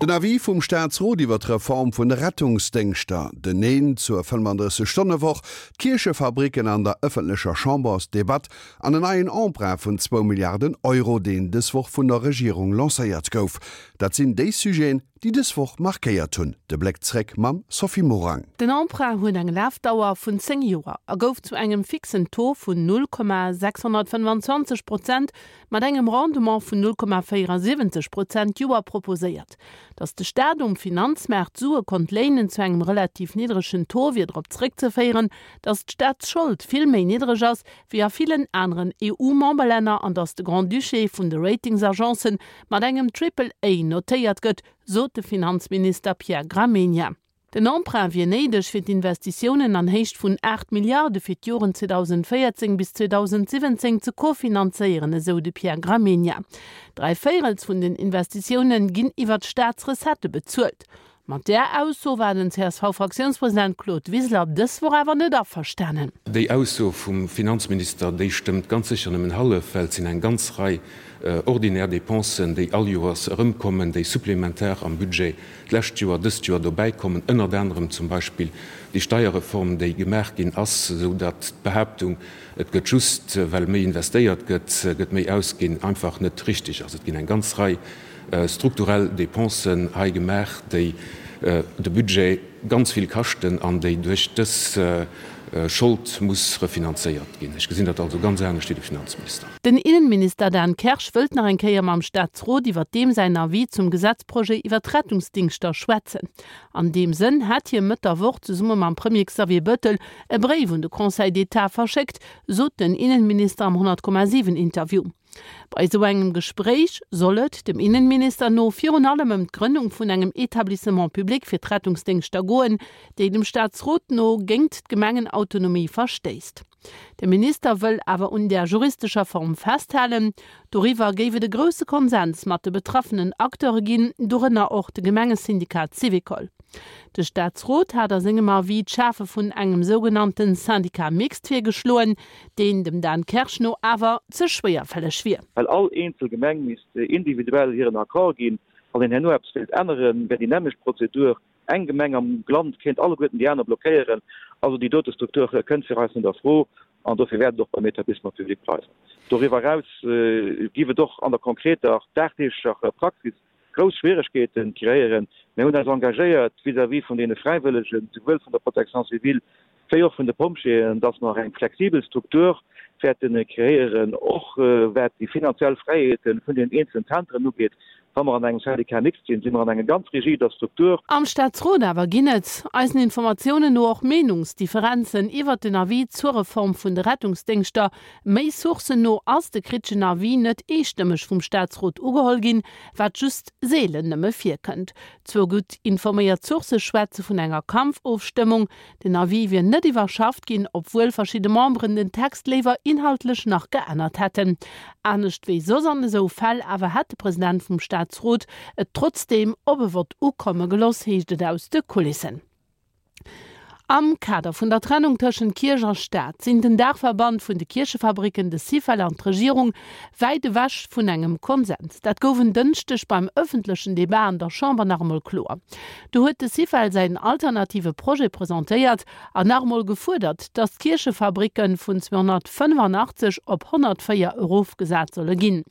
Den Avis vum Staatsrot iwwer d'Reform vun de Rettungsdéngschter, den Neen zur 35 Stonne Woch, d'Kierchefabricken an der ëffentlecher Chambersdebatt an en neien Emprunt vun zwou Milliarden Euro, deen dës Woch vun der Regierung lancéiert gouf, dat sinn déi Sujeten, déi dës Woch markéiert hunn. De Bléck zréck mam Sophie Morang. Den Emprunt huet eng Lafdauer vun 10 Joer a gouf zu engem fixen Taux vun 0,625 Prozent mat engem Rendement vun 0,74 Prozent d'Joer proposéiert. Datt de Staat um Finanzmaart Sue konnt léinen zu engem relativ niddregen Taux wier drop zréckzeféieren, datt d'Staatsschold vill méi niddreg ass wéi a villen aneren EU-Memberlänner an datt de Grand-Duché vun de Ratingsagencen mat engem Triple A notéiert gëtt, sot de Finanzminister Pierre Gramegna. Den Emprunt wier néideg, fir d'Investitiounen an Héicht vun 8 Milliarde fir d'Joren 2014 bis 2017 ze kofinanzéieren, esou de Pierre Gramegna. Dräivéierels vun den Investitioune ginn iwwer d'Staatsrecettë bezuelt. Mat där Ausso war den CSV-Fraktiounspresident Claude Wiseler dës Woch awer net averstanen. Déi Ausso vum Finanzminister, déi stëmmt ganz sécher nëmmen hallef, well et sinn eng ganz Rei ordinär Dépensen, déi all Joers erëmkommen, déi supplementar am Budget d'lescht Joer, dëst Joer dobäi kommen, ënnert anerem zum Beispill déi Steierreform, déi gemaach ginn ass, esou datt d'Behaaptung, et gëtt just, well méi investéiert gëtt, gëtt méi ausginn, einfach net richtig ass. Et ginn eng ganz Rei strukturell Dépensen hei gemaach, déi de Budget ganz vill kaschten an déi duerch dës Schold muss refinanzéiert ginn. Ech gesinn dat also ganz anescht wéi de Finanzminister. Den Innenminister Dan Kersch wëllt nach eng Kéier mam Staatsrot iwwer deem säin Avis zum Gesetzprojet iwwer d'Rettungsdingschter schwätzen. An deem Sënn hätt hie Mëtt der Woch zesumme mam Premier Xavier Bettel e Bréif un de Conseil d'Etat verschéckt, sot den Innenminister am 100,7 Interview. Bei esou engem Gespréich soll et, dem Innenminister no, virun allem ëm d'Grënnung vun engem Etablissement public fir d'Rettungsdéngschter goen, déi dem Staatsrot no géingt d'Gemengenautonomie verstéisst. De Minister wëll awer un där juristescher Form festhalen. Doriwwer géif et e grousse Konsens mat de betraffenen Acteure ginn, dorënner och de Gemengesyndikat Syvicol. De Staatsrot hat a sengem Avis d'Schafe vun engem sougenannte Syndicat mixte virgeschloen, deen dem Dan Kersch no awer ze schwéierfälleg wier. Well all eenzel Gemeng misst individuell hiren Accord ginn. Wann een herno eppes wéilt änneren, wär déi nämmlecht Prozedur Eng Gemeng am Land kéint alleguerten déi aner blockéieren. Also déi dote Struktur kënnt fir eis net a Fro an dofir wäert et och beim Etablissement public bleiwen. Doriwwer eraus géif et och an der konkreter dagdeeglecher Praxis grouss Schwieregkeete kreéieren. Mir hunn eis engagéiert vis-à-vis vun deene Fräiwëllegen, souwuel vun der Protection civile wéi och vun de Pompjeeën, dass mer eng flexibel Struktur wäerte kreéieren, och wat déi finanziell Fräiheete vun den eenzelen Zentren ugeet. Wa mer an engem Syndicat mixte sinn, si mer an enger ganz rigider Struktur. Am Staatsrot awer ginn et, eisen Informatiounen no, och Meenungsdifferenzen iwwert den Avis zur Reform vun de Rettungsdéngschter. Méi Sourcen no ass de kriteschen Avis net eestëmmeg vum Staatsrot ugeholl ginn, wat just seelen nëmme virkënnt. Zwou gutt informéiert Sourcë schwätze vun enger Kampfofstëmmung. Den Avis wier net iwwerschafft ginn, obwuel verschidde Memberen den Text léiwer inhaltlech nach geännert hätten. Anescht wéi soss an esou Fäll awer hätt de President vum Staatsrot et trotzdeem op e Vott ukomme geloss, heescht et aus de Kulissen. Am Kader vun der Trennung tëschent Kierch a Staat sinn den Daachverband vun de Kierchefabricken, de Syfel an d'Regierung wäit ewech vun engem Konsens. Dat gouf en Dënschdeg beim ëffentlechen Debat an der Chamber nach emol kloer. Do huet de Syfel säin alternative Projet presentéiert an nach emol gefuerdert, datt d'Kierchefabricke vun 285 op 104 erofgesat solle ginn.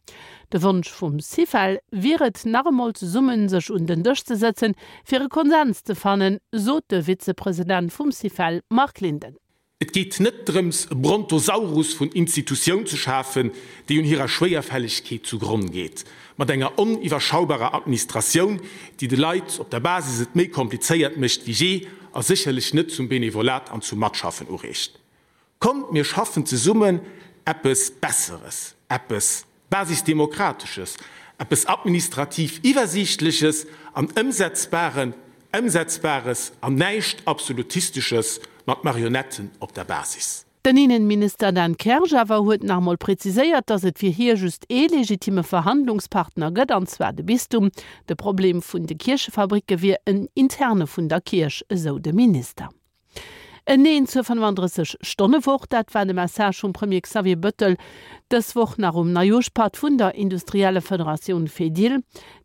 De Wonsch vum Syfel wier et, nach emol zesumme sech un den Dësch ze sëtzen, Fir e Konsens ze fannen, sot de Vizepresident vum Syfel Marc Linden. Et geet net drëms, e Brontosaurus vun Institutioun ze schafen, déi un hirer Schwéierfällegkeet zu Gronn geet, mat enger oniwwerschaubarer Administratioun, déi de Leit op der Basis et méi komplizéiert mécht wéi jee a sécherlech net zum Benevolat an zum Matschaffen ureegt. Kommt, mir schaffen zesummen eppes Besseres, eppes Basisdemokratesches, eppes administrativ Iwwersiichtleches an Ëmsetzbaren, Ëmsetzbares an näischt Absolutistesches mat Marionetten op der Basis. Den Innenminister Dan Kersch awer huet nach emol präziséiert, datt et fir hie just ee legitime Verhandlungspartner gëtt, an zwar de Bistum. De Problem vun de Kierchefabricke wier en interne vun der Kierch, esou de Minister. En Neen zur 35 Stonne Woch, dat war de Message vum Premier Xavier Bëttel dës Woch nach um Neijoerschpatt vun der Industriellefederatioun Fedil.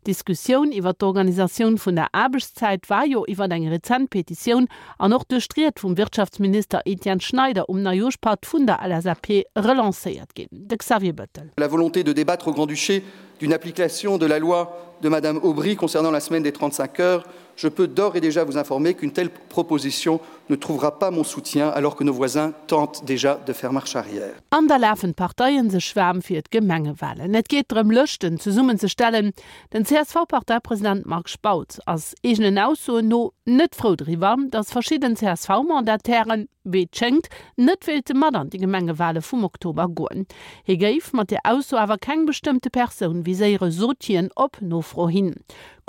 D'Diskussioun iwwer d'Organisatioun vun der Aarbechtszäit war jo iwwer eng rezent Petitioun an och duerch d'Ried vum Wirtschaftsminister Etienne Schneider um Neijoerschpatt vun der LSAP relancéiert ginn. De Xavier Bettel. La volonté de débattre au Grand-Duché d'une application de la loi de Madame Aubry concernant la semaine des 35 heures, je peux d'ores et déjà vous informer qu'une telle proposition ne trouvera pas mon soutien alors que nos voisins tentent déjà de faire marche arrière. An da lafen d'Parteien sech waarm fir d'Gemengewalen. Et geet drëm Lëschten zesummen ze stellen. Den CSV-Parteipresident Marc Spautz ass eegenen Aussoen no net frou driwwer, datt verschidden CSV-Mandatairen, wéi et schéngt, net wéilte mat an déi Gemengewale vum Oktober goen. Hie géif mat där Ausso awer keng bestëmmte Persoun viséiere, sot hien op Nofro hin.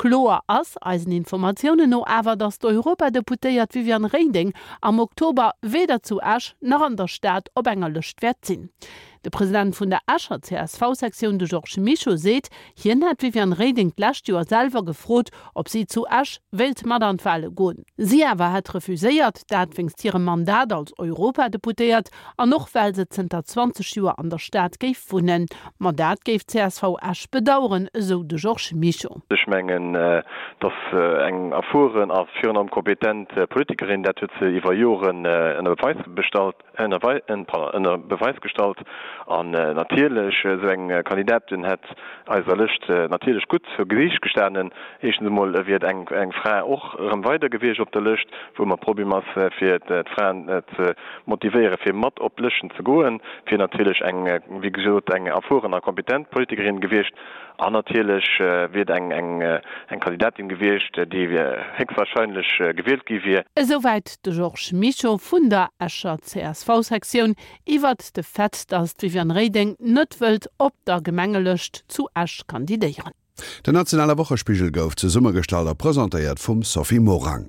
Kloer ass eisen Informatiounen no awer, datt d'Europadeputéiert Viviane Reding am Oktober weder zu Esch nach an der Stad op enger Lëscht wäert sinn. De President vun der Escher CSV-Sektioun, de Georges Mischo, seet, hien hätt d'Viviane Reding d'lescht Joer selwer gefrot, ob si zu Esch wéilt mat an d'Wale goen. Si awer hätt refuséiert, dat wéinst hirem Mandat als Europadeputéiert An och well se zënter 20 Joer an der Stad géif wunnen. Ma dat géif d'CSV Esch bedaueren, esou de Georges Mischo. Ech mengen, dass eng erfueren a virun allem kompetent Politikerin, dat huet se iwwer Joren ënner Beweis bestallt, ënner Beweis gestallt. An natierlech, esou eng Kandidatin hätt eiser Lëscht natierlech gutt zu Gesiicht gestanen. Éischtens emol wier et eng Fra och erëm weider gewiescht op der Lëscht, wou ëmmer Problem ass, fir d'Fraen ze motivéiere fir mat op d'Lëschten ze goen, wier natierlech eng, wéi gesot, eng erfueren a kompetent Politikerin gewiescht an natierlech wier et eng eng Kandidatin gewiescht, déi héchstwahrscheinlech gewielt gi wier. Esouwäit de Georges Mischo vun der Escher CSV-Sektioun iwwert de Fait, datt d'Viviane Reding net wëllt op der Gemengelëscht zu Esch kandidéieren. Den nationale Wochespigel gouf zesummegestallt a presentéiert vum Sophie Morang.